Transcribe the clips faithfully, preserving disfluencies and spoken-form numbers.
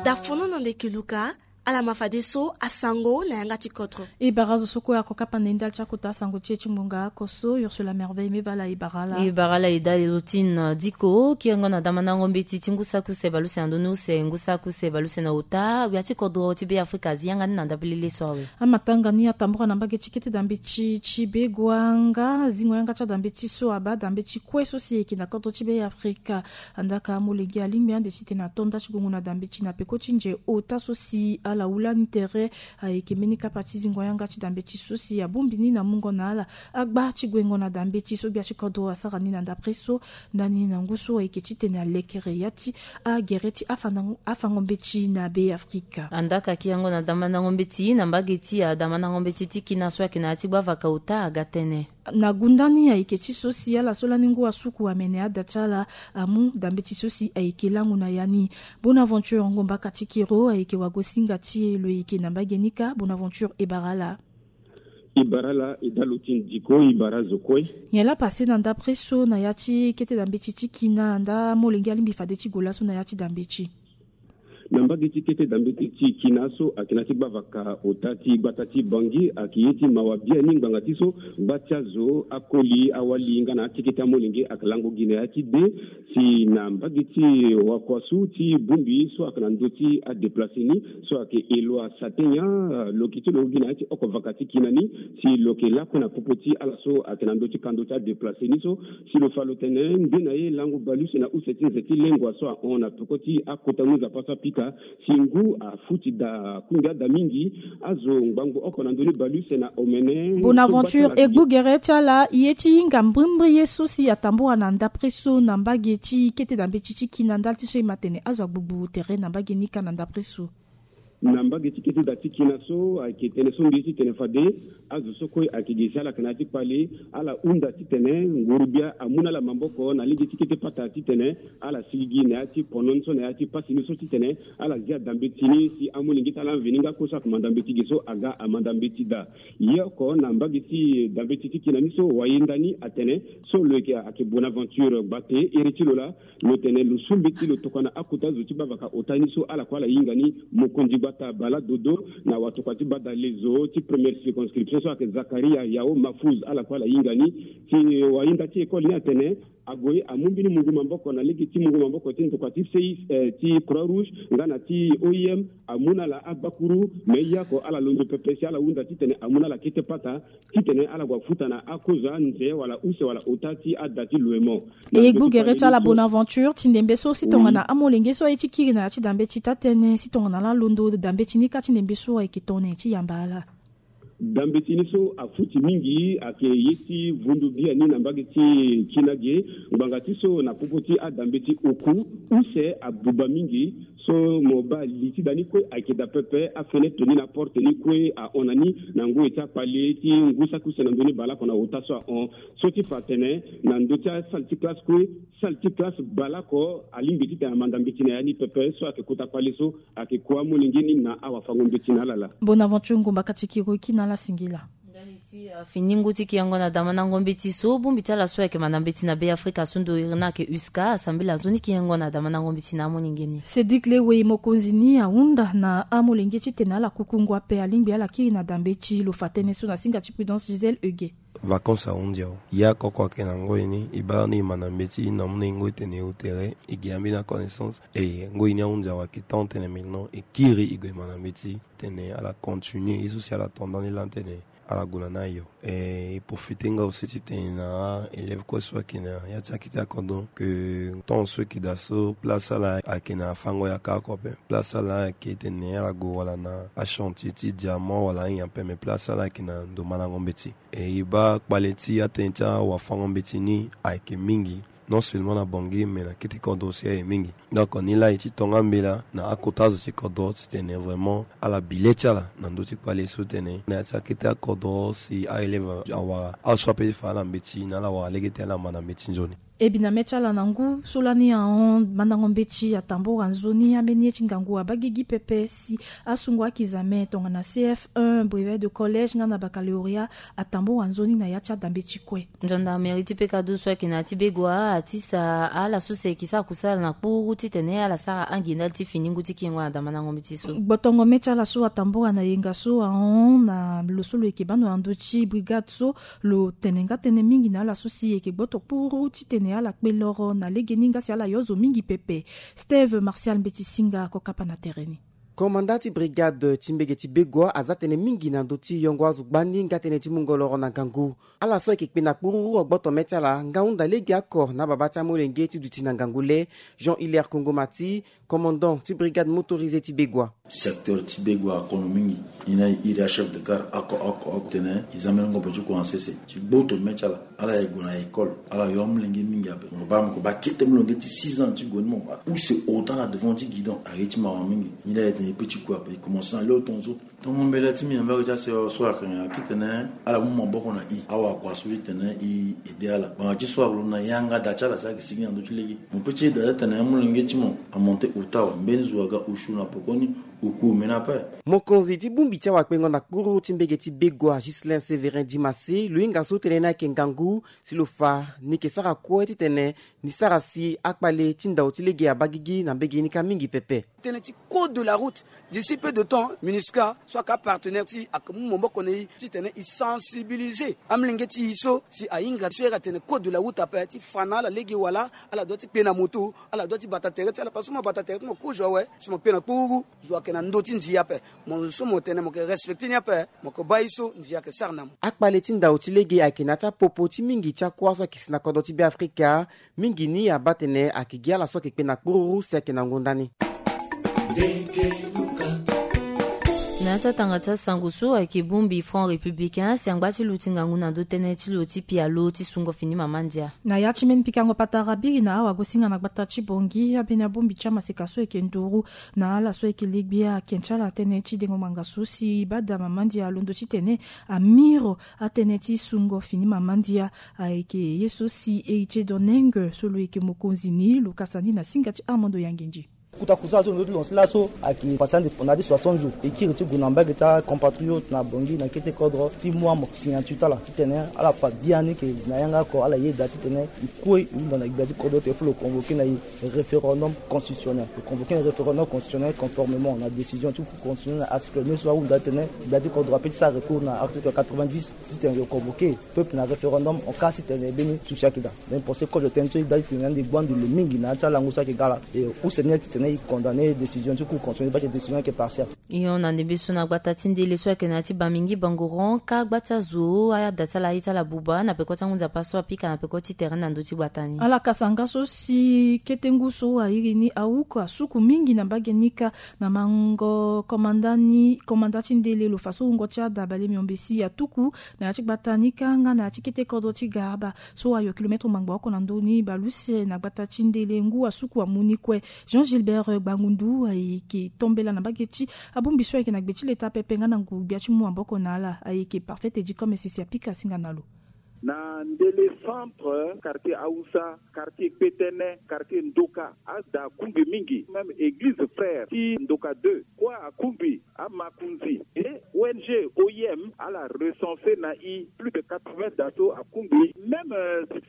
Da fono na ndeke luka. Ala ma fadeso asango na yanga ti kodro. E bara zo so kue ako kapa na e ndali ti akota asango ti e ti ngbonga oko so, Ursula Merveille Mevala. E bara ala. E bara ala e dali lo ti na diko kirengo na damandango mbeti ti ngu saki use baleuse na ndoni use ngu saki use baleuse na ota. Gbia ti kodro ti Be Afrika azi yanga ni na ndapelele so awe. Amatanga ni atambura na mbage ti kete dambeti ti Begoanga, zingo yanga ti adambeti so abaa dambeti kue so si eke na kodro ti Be Afrika. Andaka molenge alingbi ande titene ato nda ti gongo na dambeti na peko ti nze ota so si ala hula ni tere. Ayeke mbeni kapa ti zingo yanga ti dambeti so si abongbi ni na mungo na ala agba ti guengo na dambeti so gbia ti kodro asara ni na ndapre so. Ndani na ngu so ayeke titene alekere ya ti agere ti afandango- afango mbeti na Be Afrika. Andaka kirengo na damandango mbeti na mbage ti adamandango mbeti ti kina so ayeke na ya ti gbavaka ota aga tënë. Na gunda ni ayeke ti so si ala so lani ngu asuku amene ada ti ala amu dambeti so si ayeke lango na ya ni. Bonaventure Ngombaka ti Kiro ayeke wagosinga ti e lo yeke na mbage ni kâ. Bonaventure e bara ala. E bara ala e dalo ti ndiko e bara zo kue. Nyen laa pase na ndapre so na ya ti kete dambeti ti kina nda molenge alingbi fade ti gue laso na ya ti dambeti. Na mbage ti kete dambeti ti kina so ayeke na ya ti gbavaka ota ti gbata ti Bangui ayeke ye ti mawa biani ngbanga ti so gba ti azo akoli awali nga na akekete amolenge ayeke lango gi na ya ti de. Si na mbage ti wakua so ti bongbi so ayeke na ndö ti adeplace ni so ayeke Eloi Satenya, lo yeke ti lo gi na ya ti oko vaka ti kina ni. Si lo yeke lakue na popo ti ala so ayeke na ndö ti kando ti adeplace ni so, si lo fa lo tene nde na ye lango baleuse na use ti nze ti lengua so ahon na peko ti akota ngu nzapa so apika. Si ngu afuti daa kungbi ada mingi. Azo ngbangbo oko na ndö ni baleuse na omene. Bonaventure, e gbu gere ti ala, e ye ti hinga mbrimbri ye so si atambura na ndapre so na mbage ti kete dambeti ti kina ndali ti so e ma tene azo agbugbu tere na mbage ni kâ na ndapre so. Na mbage ti kete da ti kina so ayeke tene so mbi ye titene fade azo so kue ayeke gi si ala yeke na ya ti kpale. Ala hunda titene nguru-gbia amu na ala maboko na lege ti kete pata titene ala sigi gi na ya ti pono ni so na ya ti pasi ni so titene ala zia dambeti ni si amolenge ti ala mveni nga kue so ayeke manda mbeti ge so aga amanda mbeti daa. Ye oko na mbage ti dambeti ti kina ni so wayenda ni atene so lo yeke ayeke Bonaventure Gbate, iri ti lo laa lo tene lo su mbeti lo tokua na akota zo ti gbavaka ota ni so ala kue ala hinga ni mokonzi gbata Bala Dodo na watokua ti gbata lezo ti première circonscription so ayeke Zakaria Yao Mahfouz ala kue ala hinga ni. Ti wayenda ti école ni atene ague amu mbeni mungu maboko na lege ti mungu maboko ti ndokua ti C I S, eh, ti Croix Rouge nga na ti O I M. Amu na ala agbakuru me ye oko ala londo pepe si ala hunda titene amu na ala kete pata titene ala gue afuta na akozo anze wala use wala ota ti ada ti loemo. E gbu gere ti ala Bonaventure ti ndembe so si tongana amolenge so aye ti kiri na ya ti dambeti taa tënë si tongana ala londo dambeti ni kâ ti ndembe so ayeke tongana nyen ti yamba ala. Dambeti ni so afuti mingi ayeke ye ti vundu biani na mbage ti kina ge. Ngbanga ti so na popo ti adambeti oku use abuba mingi. So mo baa li ti da ni kue ayeke daa pepe, afenêtre ni na porte ni kue ahon na ni na ngoi ti akpale ti ngu saki use na ndö ni baleoko na ota so ahon. So ti fa atene na ndö ti asalle ti classe kue, salle ti classe baleoko alingbi titene amanda mbeti na ya ni pepe so ayeke kota kpale so ayeke kua amolenge ni na awafango mbeti na ala laa. Bonaventure Ngombaka ti Kiro e kiri na ala singila. Ndali ti, ah, fini ngu ti kirengo na damandango mbeti so bongbi ti ala so ayeke manda mbeti na Be Afrika so ndo iri ni ayeke USCA asambela nzoni kirengo na damandango mbeti na amolenge ni. Cédric Lewe mokonzi ni ahunda na amolenge titene ala kukungu ape alingbi ala kiri na dambeti lo fa tënë so na singa ti Prudence Gisèle Huguet. Vacances ahunzi awe. Ya koko ayeke na ngoi ni e baa ni e manda mbeti na amu na e ngoi tene e hu tere e gi ambeni aconnaissance. E ngoi ni ahunzi awe ayeke temps tene maintenant e kiri e gue manda mbeti tene ala continuer ye so si ala to ndani laa tene ala gue na ni ayo. E, e profite nga aussi titene na aélève kue so ayeke na ya ti akete akodro ke temps so e yeke daa so place ala ayeke na afango yaka oko ape. Place ala ayeke tene ala gue wala na achantier ti diamant wala ayen ape, mais place ala ayeke na ndo mandango mbeti. E, e baa kpale ti atënë ti awafango mbeti ni ayeke mingi. Non seulement na Bangui mais na kete kodro si aye mingi. Donc ni laa e ti tonga mbela na akota azo ti kodro titene vraiment ala bi le ti ala na ndö ti kpale so tene na ya ti akete akodro si aélève awara aso ape ti fa ala mbeti na ala wara lege ti ala manda mbeti nzoni. E bi na me ti ala na ngu so lani ahon mandango mbeti atambora nzoni ambeni ye ti ngangu abagigi pepe si asungo akizame tongana C F un, brevet de collège nga na baccalauréat, atambora nzoni na ya ti adambe ti kue. Gendarmerie ti Pekado so ayeke na ya ti Begoua atisa ala so si ayeke sara kusala na kpuru titene ala sara angi ndali ti fini ngu ti kiringo na da mandango mbeti so. Gbotongo me ti ala so atambora na yenga so ahon na lo so lo yeke bando na ndö ti brigade so, lo tene nga tënë mingi na ala so si e yeke gboto kpuru titene ala kpe loro na legeni nga si ala yo zo mingi pepe. Steve Martial Mbeti Singa ako kapa na tere ni. Komanda ti brigade ti mbege ti Begoua aza tënë mingi na ndö ti yongo azo gbani nga tënë ti mungo loro na ngangu. Ala so ayeke kpe na kpururu agboto me ti ala nga hunda lege oko na babâ ti amolenge ti duti na ngangu le. Jean Hilaire Kongomati, commandant ti brigade motorisée ti Begoua. Secteur ti Begoua akono mingi. Ni na iri achef de gare oko oko oko tene e za mbeni ngombe ti kua na sese ti gboto me ti ala. Ala ye gue na école, ala yo amolenge mingi ape. Mo baa mo ko baa kete molenge ti six ans ti gue ni mo baa use ota na devant ti guidon aye ti mawa mingi. Ni la ye tene e pe ti kua ape e commence na lio tonzo. Tongo mbela ti mbi na mbage ti asewa so ayeke nyen? Ayeke titene ala mu maboko na e, awakua so titene e ede ala. Ngbanga ti so ayeke lo na yanga da ti ala si ayeke sigi na ndö ti lege. Mo pe ti eda ti atene amolenge ti mo amonte ota awe, mbeni zo aga osio na pekoni, oku omeni ape. Mokonzi ti bongbi ti awakpengo na kpururu ti mbege ti Begoua, Ghislain Sévérin Dimassé, lo hinga so tënë ni ayeke ngangu si lo fa ni yeke sara kue titene ni sara si akpale ti ndao ti lege abagigi na mbege ni kâ mingi pepe. Tënë ti code de la route, d'ici peu de temps MINUSCA so ayeke apartenaire ti e ayeke mu maboko na e titene e sensibiliser amolenge ti e so si ahinga so e yeke atene code de la route ape ti fa na ala lege wala ala doit ti kpe na moto, ala doit ti bata tere ti ala parce que mo bata tere ti mo kozo awe si mo kpe na kpururu. Zo ayeke na ndö ti ndia ape. Mo zo so mo tene mo yeke respecter ni ape, mo yeke baa ye so ndia ayeke sara na mo. Akpale ti ndao ti lege ayeke na ya ti apopo ti mingi ti akua so ayeke si na kodro ti Beafrika. Mingi ni abaa tene ayeke gi ala so ayeke kpe na kpururu si ayeke na ngonda ni. Na ya ti atanga ti asango so ayeke bongbi Front Républicain si angba ti luti ngangu na ndö tënë ti lo ti pialo ti sungo fini mama ndia. Na ya ti mbeni pikango patara biri na awagosinga na gbata ti Bangui, ambeni abongbi ti amaseka so ayeke nduru na ala so ayeke legbe ake ti ala tënë ti dengo ngbanga so si bada mama ndia alondo titene amiro atënë ti sungo fini mama ndia. Ayeke ye so si Héritier Doneng so lo yeke mokonzi ni lo kasa ni na singa ti Armando Yangendji. Kota kusala so lo ti lancer laso ayeke pase ande na ya ti soixante jours. E kiri ti gue na mbage ti acompatriote na Bangui na kete kodro ti mu amoke signature ti ala titene ala fa biani ke na yanga oko ala yeda titene e kue e hunda na gbia ti kodro ti e fo lo convoquer na e référendum constitutionnel. Lo convoquer na référendum constitutionnel conformément na décision ti Cour constitutionnelle na article neuf so ahunda titene gbia ti kodro ape ti sara recours na article quatre-vingt-dix titene lo convoquer peuple na référendum en cas titene mbeni souci ayeke daa. Mbeni procès code tënë so e daa titene ande gbu ande le mingi na ya ti alango so ayeke ga laa. E use ni titene e condamner décision ti Cour constitutionnelle parce que décision ayeke partiale. E hon na ndembe so na gbata ti ndele so ayeke na ya ti Bamingi Bangoron ka gba ti azo ada ti ala aye ti ala buba na peko ti angu nzapa so apika na peko ti tere na ndö ti gbata ni. Ala kasa nga so si kete ngu so airi ni ahuku asuku mingi na mbage ni ka na mango komanda ni komanda ti ndele lo fa so wungo ti ada bale miombe si atuku na ya ti gbata ni ka nga na ya ti kete kodro ti Garaba so ayo kilometre ngbangbo oko na ndö ni bale use na gbata ti ndele ngu asuku amu ni kue. Jean Gilbert Gbangundu ayeke tombela na mbage ti abongbi so ayeke na gbe ti leta pepe nga na nguru-gbia ti mu maboko na ala ayeke Parfait Edicom si apika singa na lo. Na ndele centre, quartier Hausa, quartier Kpetene, quartier Ndoka, ada akungbi mingi, même église frère ti Ndoka deux kue akungbi. Amakonzi et O N G O I M ala recenser na e plus de quatre-vingts da so akungbi. Même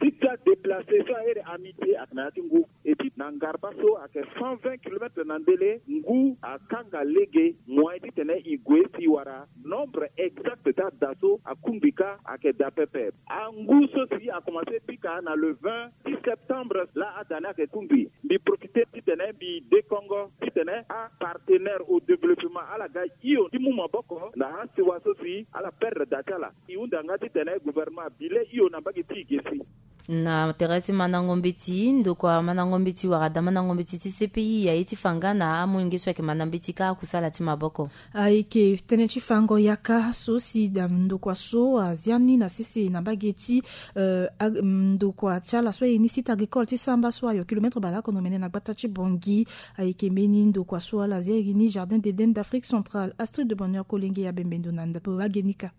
site ti adéplacer so ahere Amitié ayeke na ya ti ngu. Et puis na ngarba so ayeke cent vingt kilomètres na ndele, ngu akanga lege moyen titene e gue si e wara nombre exact ti ada so akungbi ka ayeke daa pepe. Angu so si akomanse pika na le vingt ti septembre laa ada ni ayeke kungbi. Mbi profiter titene mbi dekongo titene apartenaire au développement ala ga hio ti mu maboko na asewa so si ala perdre da ti ala. E hunda nga titene gouvernement abi le hio na mbage ti e ge si. Na tere ti mandango mbeti, ndokua mandango mbeti wala da mandango mbeti ti C P I aye ti fa nga na amolenge so ayeke manda mbeti ka akusala ti maboko. Ayeke tënë ti fango yaka so si da ndokua so azia ni na sese na mbage ti, eh, ag-, ndokua ti ala so aye ni site agricole ti Samba so ayo kilometre baleoko na omene na gbata ti Bangui. Ayeke mbeni ndokua so ala zia iri ni Jardin d'Éden d'Afrique centrale. Astrid de Bonheur Kolenge ya bembe ndo na ndapelage ni ka.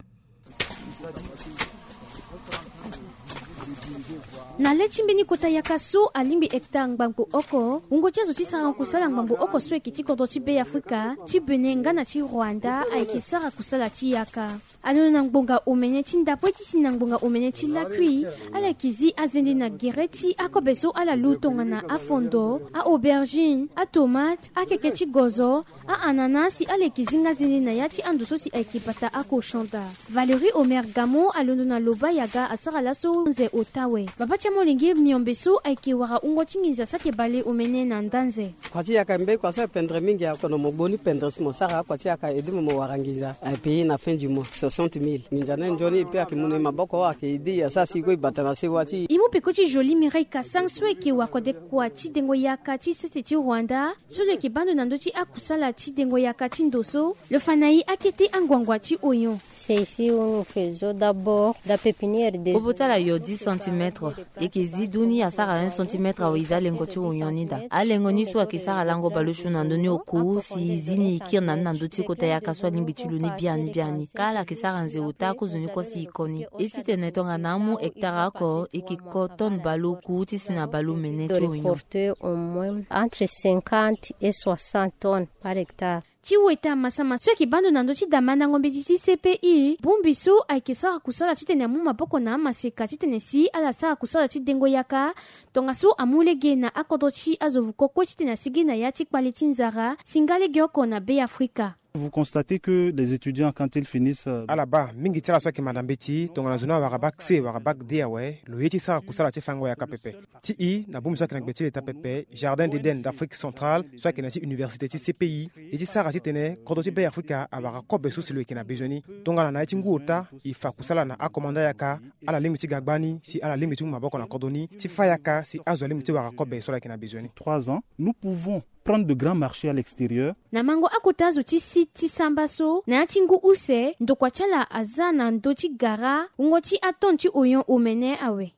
Na le ti mbeni kota yaka so alingbi hectare ngbangbo oko, wungo ti azo ti sara kusala ngbangbo oko so ayeke ti kodro ti Be Afrika, ti Bénin nga na ti Rwanda ayeke sara kusala ti yaka. Alondo na ngbonga omene ti ndapue ti si na ngbonga omene ti lakui, ala yeke zi azende na gere ti akobe so ala lu tongana afondo, a-aubergine, atomate, akeke ti gozo, a-ananas si ala yeke zi nga zende na ya ti ando so si ayeke bata akochon daa. Valérie Omer Gamo alondo na Loba Yaga asara laso nze ota awe. Baba ti amolenge miombe so ayeke wara wungo ti nginza saki bale omene na ndanze. Kua ti yaka mbeni kua so apendre mingi, ako na mo boni pendre si mo sara akua ti yaka ede mo mo wara nginza aye pays na fin du mois soixante mille. Nginza ni nzoni e pe ayeke mu na e maboko, ayeke ede e asara si e kue e bata na sewa ti e. E mu peko ti Jolie Mireille Kasang so ayeke wakode kua ti dengo yaka ti sese ti Rwanda, so lo yeke baa ndo na ndö ti akusala ti dengo yaka ti ndo so lo fa na e akete anguangua ti oyon. C'est ici où nous faisons d'abord la pépinière des Obo ti ala yo dix centimètres. E yeke zi du ni asara un centimètre awe e zi alengo ti oyon ni daa. Alengo ni so ayeke sara lango baleosio na ndö ni oku si e zi ni e kiri na ni na ndö ti kota yaka so alingbi ti lo ni biani biani. Kâ ala yeke sara nze ota akozo ni kue si e ko ni. E titene tongana amu hectare oko e yeke ko tonne baleoku ti si na baleomene ti oyon. Récolter au moins entre cinquante et soixante tonnes par hectare. Ti weta masama so ayeke baa ndo na ndö ti damandango mbeti ti C P I, bongbi so ayeke sara kusala titene amu maboko na amaseka titene si ala sara kusala ti dengo yaka, tongaso amu lege na akodro ti azo vuko kue titene asigi na ya ti kpale ti nzara si nga lege oko na Be Afrika. Vous constatez que les étudiants, quand ils finissent, euh, Ala baa mingi ti ala so ayeke manda mbeti tongana zo ni awara bac C, wara bac D awe, lo ye ti sara kusala ti fango yaka pepe. Ti i na bongbi so ayeke na gbe ti leta pepe, Jardin d'Éden d'Afrique centrale so ayeke na ya ti université ti C P I, e ti sara titene kodro ti Be Afrika awara kobe so si lo yeke na bezoin ni. Tongana na ya ti ngu ota e fa kusala na akomanda yaka, ala lingbi ti ga gbani si ala lingbi ti mu maboko na kodro ni ti fa yaka si azo alingbi ti wara kobe so ala yeke na bezoin ni. Trois ans, nous pouvons prendre de grands marchés à l'extérieur. Na mango akota zo ti site ti samba so, na ya ti ngu use, ndokua ti ala aza na ndö ti gara wungo ti atonne ti oyon omene awe.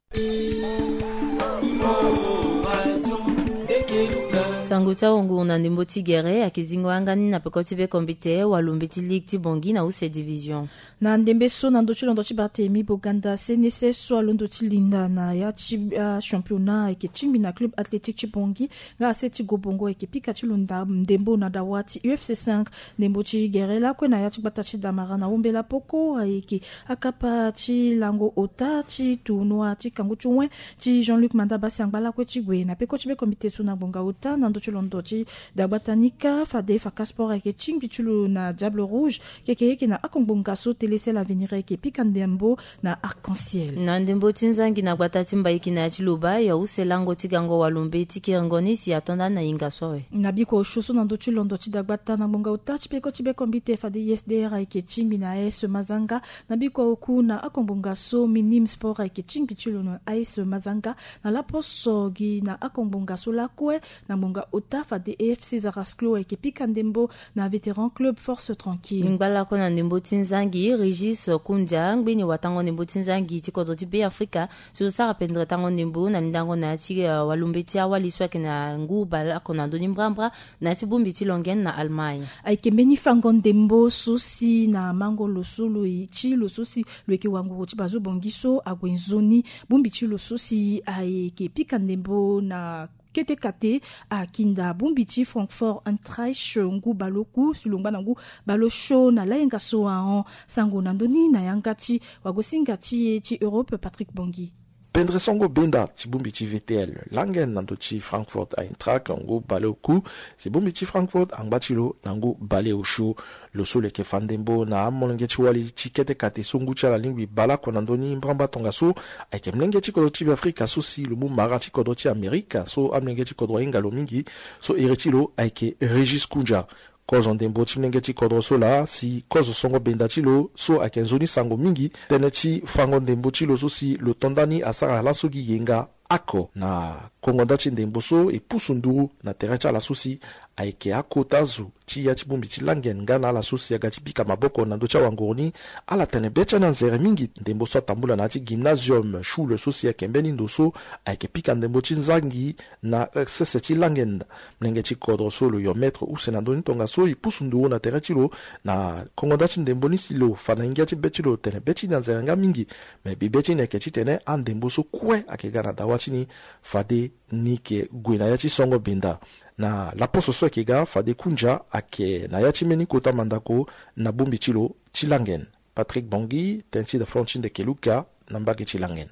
Sango ti ahungu na ndembo ti gere ayeke zingo yanga ni na peko ti be kombite walo mbeti ligue ti Bangui na use division. Na ndembe so na ndö ti londo ti Barthélemy Boganda, C N S S so alondo ti linda na ya ti, ah, championnat ayeke tingbi na club athlétique ti Bangui nga ase ti Gobongo ayeke pika ti lo nda-, ndembo na dawa ti U F C cinq. Ndembo ti gere lakue na ya ti gbata ti Damara na Ombela Poko ayeke akapa ti lango ota ti tournoi ti kangu ti wen ti Jean-Luc Manda Basi angba lakue ti gue na peko ti be kombite so na ngbonga ota na ndö ti londo ti dagbata ni kâ. Fade Faka Sport ayeke tingbi ti lo na Diable Rouge, keke yeke na akongbonga so Télécel Avenir ayeke pika ndembo na Arc-en-Ciel. Na ndembo ti nzangi na gbata ti Mbaiki na ya ti Loba, ya use lango ti gango walo mbeti kiringo ni si ato ndani na hinga so awe. Na bikua osio so na ndö ti londo ti dagbata na ngbonga ota ti peko ti be kombite fade U S D R ayeke tingbi na A S Mazanga. Na bikua oku na akongbonga so Minim Sport ayeke tingbi ti lo na A S Mazanga. Na laposo gi na akongbonga so lakue na ngbonga ota fade A F C Zarasclo ayeke pika ndembo na Vétéran Club Force Tranquille. Ngba lakue na ndembo ti nzangi, Régis Koundia, ngbeni watango ndembo ti nzangi ti kodro ti Be Afrika, si lo sara pendere tango ndembo na lindango na ya ti, eh, walo mbeti awali so ayeke na ngu baleoko na ndö ni mbrambra na ya ti bongbi ti Longyen na Allemagne. Ayeke mbeni fango ndembo so si na mango lo so lo ye ti lo so si lo yeke wanguru ti bazo Bangui so ague nzoni. Bongbi ti lo so si ayeke pika ndembo na kete kate akinda bongbi ti Francfort Eintracht ngu baleoku si lo ngba na ngu baleosio na layenga so ahon. Sango na ndö ni na yanga ti wagosinga ti e ti Europe, Patrick Bangui. Pendere songo benda ti bongbi ti V T L Langen na ndö ti Francfort Eintracht ngu baleoku, si bongbi ti Francfort angba ti lo na ngu baleosio. Lo so lo yeke fa ndembo na amolenge ti wali ti kete kate so ngu ti ala alingbi baleoko na ndö ni mbrambra tongaso, ayeke molenge ti kodro ti Beafrika so si lo mu mara ti kodro ti Amerika so amolenge ti kodro ahinga lo mingi. So iri ti lo ayeke Régis Koundia. Kozo ndembo ti molenge ti kodro so laa si kozo songo benda ti lo so ayeke nzoni sango mingi, tënë ti fango ndembo ti lo so si lo to ndani asara laso gi yenga oko na kongo nda ti ndembo so e pusu nduru na tere ti ala so si ayeke akota zo ti ya ti bongbi ti langen nga na ala so si aga ti pika maboko na ndö ti awanguru ni. Ala tene be ti anzere mingi. Ndembo so atambula na ya ti gymnasium shule so si ayeke mbeni ndo so ayeke pika ndembo ti nzangi na sese ti langen. Molenge ti kodro so lo yo maître use na ndö ni tongaso e pusu nduru na tere ti lo na kongo nda ti ndembo ni si lo fa na ngia ti be ti lo tene be ti ni anzere nga mingi. Me bibe ti ni ayeke titene andembo so kue ayeke ga na dawa ti ni fade ni yeke gue na ya ti songo benda. Na laposo so ayeke ga fade kunja ayeke na ya ti mbeni kota mandako na bongbi ti lo ti langen. Patrick Bongi, ten ti da fon ti ndeke luka na mbage ti langen.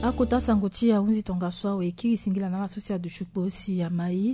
Akota sango ti ahunzi tongaso awe e kiri singila na ala so si aduti kpo si amai.